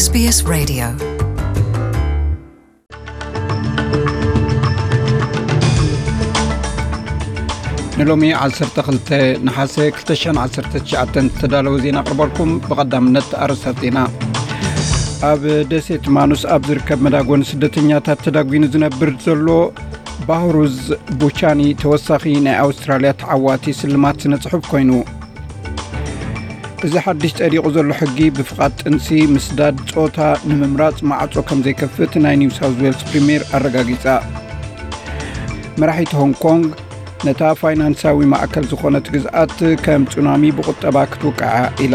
SBS Radio. ንሎሚ ዓሰርተ ክልተ ነሓሰ ክልተ ሽሕን ዓሰርተ ትሽዓተን ዝተዳለወ ዜና ኣቕርበልኩም። ብቐዳምነት ኣርእስታት ዜና። ኣብ ደሴት ማኑስ ኣብ ዝርከብ መዳጎኒ ስደተኛታት ተዳጒኑ ዝነብር ዘሎ ባህሩዝ ቡቻኒ ተወሳኺ ናይ ኣውስትራልያ ተዓዋቲ ስልማት ስነ ጽሑፍ ኮይኑ። እዚ ሓድሽ ጸዲቑ ዘሎ ሕጊ ብፍቓድ ጥንሲ ምስዳድ ጾታ ንምምራጽ ማዕጾ ከም ዘይከፍት ናይ ኒው ሳውዝ ዌልስ ፕሪምየር ኣረጋጊጻ። መራሒት ሆንግ ኮንግ ነታ ፋይናንሳዊ ማእከል ዝኾነት ግዝኣት ከም ጹናሚ ብቁጠባ ክትውቅዓ ኢላ።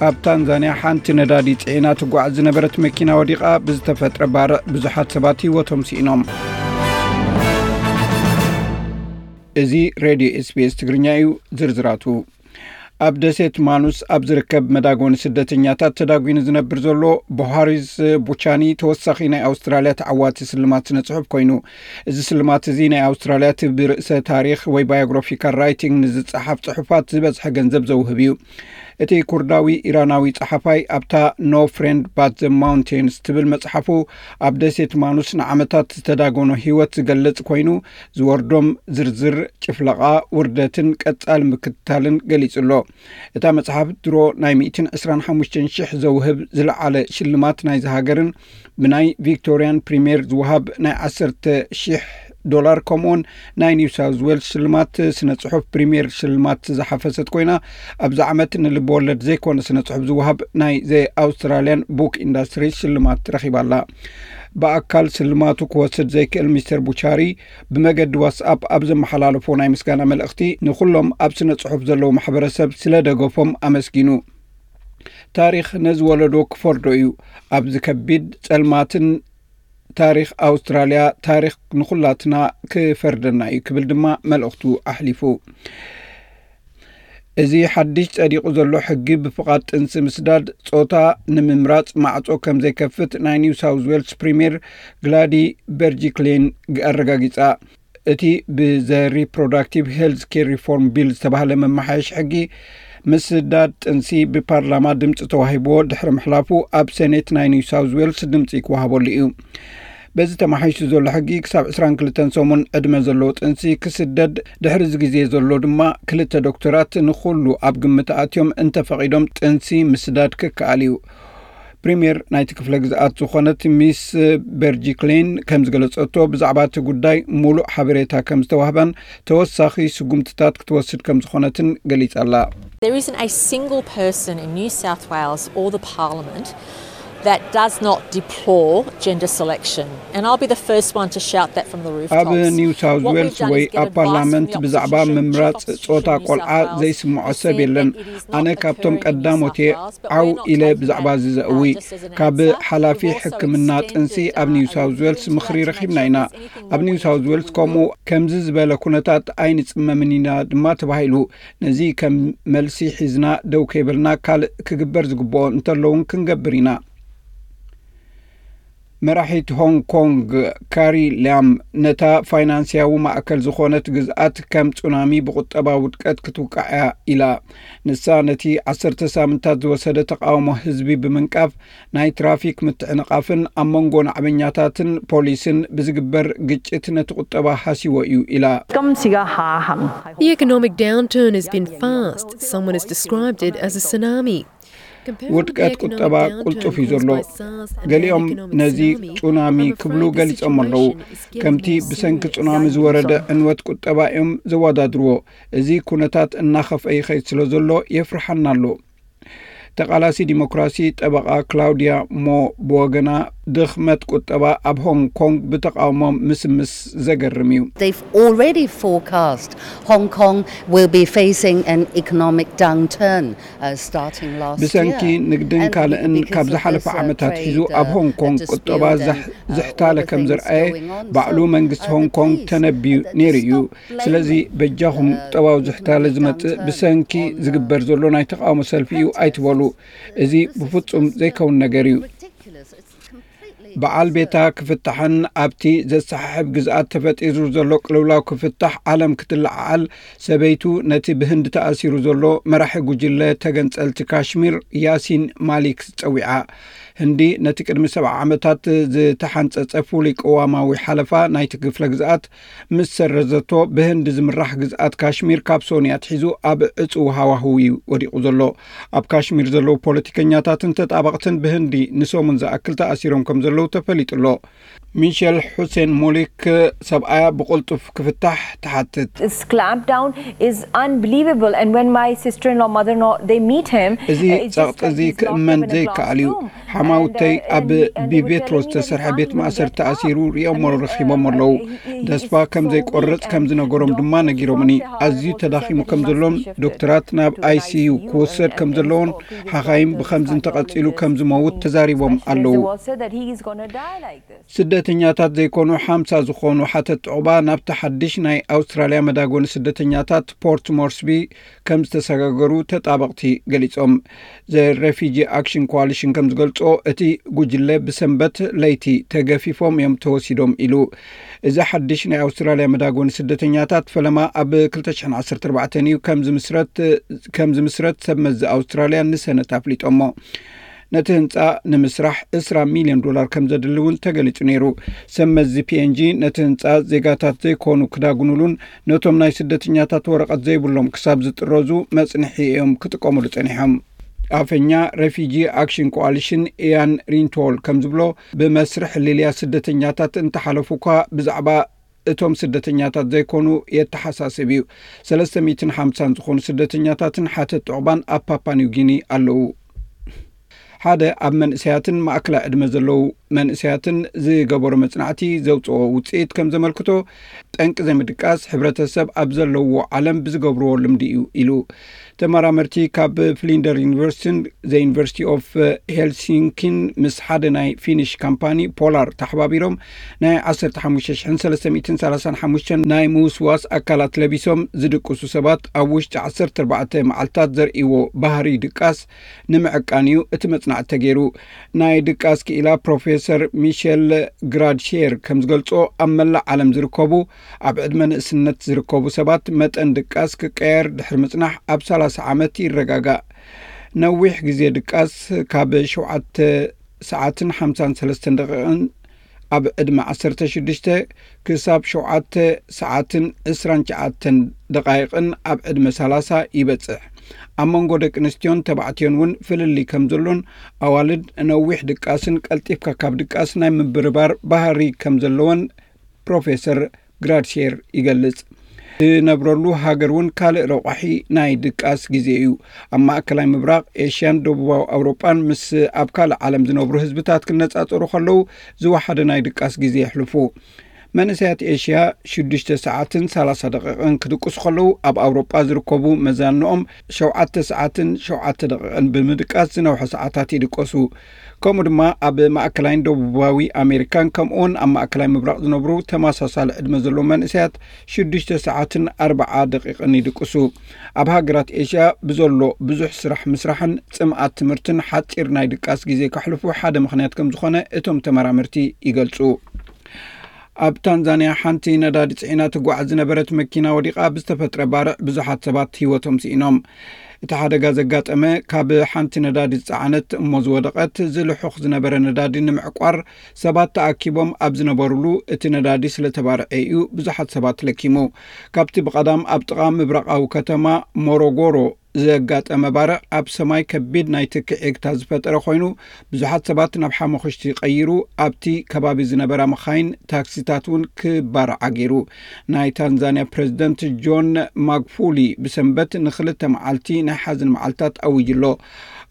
ኣብ ታንዛንያ ሓንቲ ነዳዲ ጽዒና ትጓዓዝ ዝነበረት መኪና ወዲቓ ብዝተፈጥረ ባርዕ ብዙሓት ሰባት ህይወቶም ስኢኖም። እዚ ሬድዮ ኤስቢኤስ ትግርኛ እዩ። ዝርዝራቱ። ኣብ ደሴት ማኑስ ኣብ ዝርከብ መዳጎኒ ስደተኛታት ተዳጒኑ ዝነብር ዘሎ ቦሃሪስ ቡቻኒ ተወሳኺ ናይ ኣውስትራልያ ተዓዋቲ ስልማት ስነ ጽሑፍ ኮይኑ፣ እዚ ስልማት እዚ ናይ ኣውስትራልያ እቲ ብርእሰ ታሪኽ ወይ ባዮግራፊካል ራይቲንግ ንዝጸሓፍ ጽሑፋት ዝበዝሐ ገንዘብ ዘውህብ እዩ። እቲ ኩርዳዊ ኢራናዊ ጸሓፋይ ኣብታ No Friend But the Mountains ትብል መጽሓፉ ኣብ ደሴት ማኑስ ንዓመታት ዝተዳጎኖ ህይወት ዝገልጽ ኮይኑ፣ ዝወርዶም ዝርዝር ጭፍለቓ፣ ውርደትን ቀጻሊ ምክትታልን ገሊጹ ኣሎ። እታ መጽሓፍ ድሮ ናይ ሚእትን ዕስራን ሓሙሽተን ሽሕ ዘውህብ ዝለዓለ ሽልማት ናይዚ ሃገርን ብናይ ቪክቶርያን ፕሪምየር ዝወሃብ ናይ ዓሰርተ ሽሕ ዶላር ከምኡውን ናይ ኒው ሳውዝ ዌልስ ሽልማት ስነ ጽሑፍ ፕሪምየር ሽልማት ዝሓፈሰት ኮይና ኣብዚ ዓመት ንልቢ ወለድ ዘይኮነ ስነ ጽሑፍ ዝወሃብ ናይ ዘ ኣውስትራልያን ቡክ ኢንዳስትሪ ሽልማት ረኺባ ኣላ። ብኣካል ስልማቱ ክወስድ ዘይክእል ሚስተር ቡቻሪ ብመገዲ ዋትስኣፕ ኣብ ዘመሓላለፎ ናይ ምስጋና መልእኽቲ ንኹሎም ኣብ ስነ ጽሑፍ ዘለዉ ማሕበረሰብ ስለ ደገፎም ኣመስጊኑ። ታሪኽ ነዚ ወለዶ ክፈርዶ እዩ። ኣብዚ ከቢድ ጸልማትን ታሪኽ ኣውስትራልያ ታሪኽ ንኹላትና ክፈርደና እዩ ክብል ድማ መልእኽቱ ኣሕሊፉ። እዚ ሓድሽ ጸዲቑ ዘሎ ሕጊ ብፍቓድ ጥንሲ ምስዳድ ጾታ ንምምራጽ ማዕጾ ከም ዘይከፍት ናይ ኒው ሳውዝ ዌልስ ፕሪምየር ግላዲ በርጂክሌን ኣረጋጊጻ። እቲ ብዘ ሪፕሮዳክቲቭ ሄልዝ ኬር ሪፎርም ቢል ዝተባህለ መመሓየሽ ሕጊ ምስዳድ ጥንሲ ብፓርላማ ድምፂ ተዋሂብዎ ድሕሪ ምሕላፉ ኣብ ሴኔት ናይ ኒው ሳውዝ ዌልስ ድምፂ ክወሃበሉ እዩ። በዚ ተማሓይሹ ዘሎ ሕጊ ክሳብ ዕስራን ክልተን ሰሙን ዕድመ ዘለዎ ጥንሲ ክስደድ፣ ድሕሪ እዚ ግዜ ዘሎ ድማ ክልተ ዶክተራት ንኹሉ ኣብ ግምት ኣትዮም እንተፈቒዶም ጥንሲ ምስዳድ ክከኣል እዩ። ፕሪምየር ናይቲ ክፍለ ግዝኣት ዝኾነት ሚስ በርጂክሌን ከም ዝገለጸቶ ብዛዕባ እቲ ጉዳይ ሙሉእ ሓበሬታ ከም ዝተዋህባን ተወሳኺ ስጉምትታት ክትወስድ ከም ዝኾነትን ገሊጻ ኣላ። There isn't a single person in New South Wales or the Parliament that does not deplore gender selection. And I'll be the first one to shout that from the ኣብ rooftops. ኒው ሳውዝ ዌልስ ወይ ኣብ ፓርላመንት ብዛዕባ ምምራፅ ጾታ ቆልዓ ዘይስምዖ ሰብ የለን። ኣነ ካብቶም ቀዳሞት እየ ዓው ኢለ ብዛዕባ እዚ ዘእዊ። ካብ ሓላፊ ሕክምና ጥንሲ ኣብ ኒው ሳውዝ ዌልስ ምኽሪ ረኺብና ኢና። ኣብ ኒው ሳውዝ ዌልስ ከምኡ ከምዚ ዝበለ ኩነታት ኣይንጽመምን ኢና ድማ ተባሂሉ። ነዚ ከም መልሲ ሒዝና ደው ከይበልና ካልእ ክግበር ዝግብኦ እንተለውን ክንገብር ኢና። መራሒት ሆንግ ኮንግ ካሪ ላም ነታ ፋይናንስያዊ ማእከል ዝኾነት ግዝኣት ከም ጹናሚ ብቁጠባ ውድቀት ክትውቃዕ እያ ኢላ። ንሳ ነቲ ዓሰርተ ሳምንታት ዝወሰደ ተቓውሞ ህዝቢ ብምንቃፍ ናይ ትራፊክ ምትዕንቓፍን ኣብ መንጎ ናዕበኛታትን ፖሊስን ብዝግበር ግጭት ነቲ ቁጠባ ሃሲዎ እዩ ኢላ። The economic downturn has been fast. Someone has described it as a tsunami. ውድቀት ቁጠባ ቁልጡፍ እዩ ዘሎ። ገሊኦም ነዚ ጹናሚ ክብሉ ገሊጾም ኣለዉ። ከምቲ ብሰንኪ ጹናሚ ዝወረደ ዕንወት ቁጠባ እዮም ዘወዳድርዎ። እዚ ኩነታት እናኸፍአ ይኸይድ ስለ ዘሎ የፍርሓና ኣሎ። ተቓላሲ ዲሞክራሲ ጠበቓ ክላውድያ ሞ ብወገና ድኽመት ቁጠባ ኣብ ሆንግ ኮንግ ብተቓውሞ ምስምስ ዘገርም እዩ። They've already forecast Hong Kong will be facing an economic downturn uh, starting last ብሰንኪ year. ንግድን ካልእን ካብ ዝሓለፈ ዓመታት ሒዙ ኣብ ሆንግ ኮንግ ቁጠባ ዝሕታለ ከም ዝረኣየ ባዕሉ መንግስቲ ሆንግ ኮንግ ተነብዩ ነይሩ እዩ። ስለዚ በጃኹም ቁጠባዊ ዝሕታለ ዝመጽእ ብሰንኪ ዝግበር ዘሎ ናይ ተቓውሞ ሰልፊ እዩ ኣይትበሉ። እዚ ብፍጹም ዘይከውን ነገር እዩ። በዓል ቤታ ክፍታሕን ኣብቲ ዘሰሓሕብ ግዝኣት ተፈጢሩ ዘሎ ቅልውላው ክፍታሕ ዓለም ክትለዓዓል፣ ሰበይቱ ነቲ ብህንዲ ተኣሲሩ ዘሎ መራሒ ጉጅለ ተገንጸልቲ ካሽሚር ያሲን ማሊክ ጸዊዓ። ህንዲ ነቲ ቅድሚ ሰብዓ ዓመታት ዝተሓንጸጸ ፍሉይ ቅዋማዊ ሓለፋ ናይቲ ክፍለ ግዝኣት ምስ ሰረዘቶ፣ ብህንዲ ዝምራሕ ግዝኣት ካሽሚር ካብ ሶኒ ኣትሒዙ ኣብ ዕጹው ሃዋህው እዩ ወዲቑ ዘሎ። ኣብ ካሽሚር ዘለዉ ፖለቲከኛታትን ተጣበቕትን ብህንዲ ንሰሙን ዝኣክል ተኣሲሮም ከም ዘለዉ ተፈሊጡ ኣሎ። ሚሸል ሑሴን ሞሊክ ሰብኣያ ብቕልጡፍ ክፍታሕ ትሓትት። This clampdown is unbelievable, and when my sister-in-law, mother-in-law, they meet him, እዚ ጸቕጢ እዚ ክእመን ዘይከኣል እዩ። ሓማውተይ ኣብ ብቤትሮ ዝተሰርሐ ቤት ማእሰርቲ ተኣሲሩ ሪኦሞ ረኺቦም ኣለዉ። ተስፋ ከም ዘይቆርጽ ከም ዝነገሮም ድማ ነጊሮምኒ። ኣዝዩ ተዳኺሙ ከም ዘሎን ዶክተራት ናብ ኣይሲዩ ክወሰድ ከም ዘለዎን ሓኻይም ብኸምዚ እንተቐጺሉ ከም ዝመውት ተዛሪቦም ኣለዉ። ስደተኛታት ዘይኮኑ ሓምሳ ዝኾኑ ሓተት ዑቕባ ናብቲ ሓድሽ ናይ ኣውስትራልያ መዳጎኒ ስደተኛታት ፖርት ሞርስቢ ከም ዝተሰጋገሩ ተጣበቕቲ ገሊጾም። ዘ ሬፊጂ ኣክሽን ኮዋሊሽን ከም ዝገልጾ፣ እቲ ጉጅለ ብሰንበት ለይቲ ተገፊፎም እዮም ተወሲዶም ኢሉ። እዚ ሓድሽ ናይ ኣውስትራልያ መዳጎኒ ስደተኛታት ፈለማ ኣብ ክልተ ሽሕን ዓሰርተ ኣርባዕተን እዩ ከም ዝምስረት ሰብ መዚ ኣውስትራልያ ንሰነት ኣፍሊጦሞ። ነቲ ህንጻ ንምስራሕ ዕስራ ሚልዮን ዶላር ከም ዘድሊ እውን ተገሊጹ ነይሩ። ሰብ መዚ ፒኤንጂ ነቲ ህንጻ ዜጋታት ዘይኮኑ ክዳጉኑሉን ነቶም ናይ ስደተኛታት ወረቐት ዘይብሎም ክሳብ ዝጥረዙ መጽንሒ እዮም ክጥቀሙሉ ጸኒሖም። ኣፈኛ ሬፊጂ ኣክሽን ኮኣሊሽን ኢያን ሪንቶል ከም ዝብሎ፣ ብመስርሕ ሊልያ ስደተኛታት እንተሓለፉ እኳ ብዛዕባ እቶም ስደተኛታት ዘይኮኑ የተሓሳስብ እዩ። ሰለስተ ሚእትን ሓምሳን ዝኾኑ ስደተኛታትን ሓተት ዑቕባን ኣብ ፓፓ ኒው ጊኒ ኣለዉ። ሓደ ኣብ መንእሰያትን ማእከላይ ዕድመ ዘለዉ መንእሰያትን ዝገበሮ መጽናዕቲ ዘውጽኦ ውጽኢት ከም ዘመልክቶ፣ ጠንቂ ዘይምድቃስ ሕብረተሰብ ኣብ ዘለውዎ ዓለም ብዝገብርዎ ልምዲ እዩ ኢሉ። ተመራመርቲ ካብ ፍሊንደር ዩኒቨርሲቲን ዘ ዩኒቨርሲቲ ኦፍ ሄልሲንኪን ምስ ሓደ ናይ ፊኒሽ ካምፓኒ ፖላር ተሓባቢሮም ናይ ዓሰርተ ሓሙሽተ ሽሕን ሰለስተ ሚእትን ሰላሳን ሓሙሽተን ናይ ምውስዋስ ኣካላት ለቢሶም ዝድቅሱ ሰባት ኣብ ውሽጢ ዓሰርተ ኣርባዕተ መዓልታት ዘርእይዎ ባህሪ ድቃስ ንምዕቃን እዩ እቲ መጽናዕቲ ተገይሩ። ናይ ድቃስ ክኢላ ፕሮፌሰር ሚሸል ግራድሼር ከም ዝገልጾ፣ ኣብ መላእ ዓለም ዝርከቡ ኣብ ዕድመ ንእስነት ዝርከቡ ሰባት መጠን ድቃስ ክቀየር ድሕሪ ምጽናሕ ኣብ ሰላሳ ዓመት ይረጋጋእ። ነዊሕ ግዜ ድቃስ ካብ ሸውዓተ ሰዓትን ሓምሳን ሰለስተን ደቂቕን ኣብ ዕድመ ዓሰርተ ሽዱሽተ ክሳብ ሸውዓተ ሰዓትን ዕስራን ትሽዓተን ደቓይቕን ኣብ ዕድመ ሰላሳ ይበጽሕ። ኣብ መንጎ ደቂ ኣንስትዮን ተባዕትዮን እውን ፍልልይ ከም ዘሎን ኣዋልድ ነዊሕ ድቃስን ቀልጢፍካ ካብ ድቃስ ናይ ምብርባር ባህሪ ከም ዘለወን ፕሮፌሰር ግራድሼር ይገልጽ። ዝነብረሉ ሃገር እውን ካልእ ረቋሒ ናይ ድቃስ ግዜ እዩ። ኣብ ማእከላይ ምብራቕ፣ ኤሽያን ደቡባዊ ኣውሮጳን ምስ ኣብ ካልእ ዓለም ዝነብሩ ህዝብታት ክነጻጸሩ ከለዉ ዝወሓደ ናይ ድቃስ ግዜ የሕልፉ። መንእሰያት ኤሽያ ሽዱሽተ ሰዓትን ሰላሳ ደቂቕን ክድቅሱ ከለዉ፣ ኣብ ኣውሮጳ ዝርከቡ መዛንኦም ሸውዓተ ሰዓትን ሸውዓተ ደቂቕን ብምድቃስ ዝነውሐ ሰዓታት ይድቀሱ። ከምኡ ድማ ኣብ ማእከላይን ደቡባዊ ኣሜሪካን ከምኡውን ኣብ ማእከላይ ምብራቕ ዝነብሩ ተመሳሳሊ ዕድመ ዘለዎም መንእሰያት ሽዱሽተ ሰዓትን ኣርብዓ ደቂቕን ይድቅሱ። ኣብ ሃገራት ኤሽያ ብዘሎ ብዙሕ ስራሕ ምስራሕን ጽምኣት ትምህርትን ሓጺር ናይ ድቃስ ግዜ ከሕልፉ ሓደ ምኽንያት ከም ዝኾነ እቶም ተመራመርቲ ይገልጹ። ኣብ ታንዛንያ ሓንቲ ነዳዲ ጽዒና ትጓዓዝ ዝነበረት መኪና ወዲቓ ብዝተፈጥረ ባርዕ ብዙሓት ሰባት ህይወቶም ስኢኖም። እቲ ሓደጋ ዘጋጠመ ካብ ሓንቲ ነዳዲ ዝጸዓነት እሞ ዝወደቐት ዝልሑኽ ዝነበረ ነዳዲ ንምዕቋር ሰባት ተኣኪቦም ኣብ ዝነበሩሉ እቲ ነዳዲ ስለ ተባርዐ እዩ ብዙሓት ሰባት ለኪሙ። ካብቲ ብቐዳም ኣብ ጥቓ ምብራቓዊ ከተማ ሞሮጎሮ ዘጋጠመ ባርዕ ኣብ ሰማይ ከቢድ ናይ ትኪ ዒግታ ዝፈጠረ ኮይኑ ብዙሓት ሰባት ናብ ሓመኹሽቲ ቀይሩ ኣብቲ ከባቢ ዝነበራ መኻይን ታክሲታት እውን ክባርዓ ገይሩ። ናይ ታንዛንያ ፕሬዝደንት ጆን ማግፉሊ ብሰንበት ንክልተ መዓልቲ ናይ ሓዘን መዓልታት ኣዊጁ ኣሎ።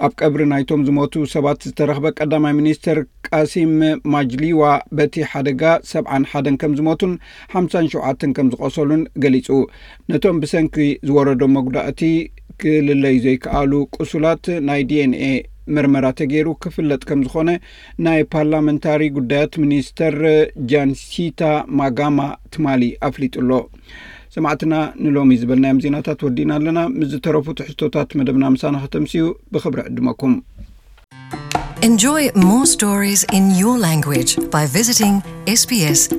ኣብ ቀብሪ ናይቶም ዝሞቱ ሰባት ዝተረኽበ ቀዳማይ ሚኒስተር ቃሲም ማጅሊዋ በቲ ሓደጋ ሰብዓን ሓደን ከም ዝሞቱን ሓምሳን ሸውዓተን ከም ዝቖሰሉን ገሊጹ። ነቶም ብሰንኪ ዝወረዶም መጉዳእቲ ክልለዩ ዘይከኣሉ ቁሱላት ናይ ዲኤንኤ ምርመራ ተገይሩ ክፍለጥ ከም ዝኾነ ናይ ፓርላመንታሪ ጉዳያት ሚኒስተር ጃንሲታ ማጋማ ትማሊ ኣፍሊጡ ኣሎ። ሰማዕትና ንሎሚ ዝበልናዮም ዜናታት ወዲእና ኣለና። ምስ ዝተረፉ ትሕዝቶታት መደብና ምሳና ከተምስዩ ብኽብሪ ዕድመኩም። Enjoy more stories in your language by visiting sbs.com.au.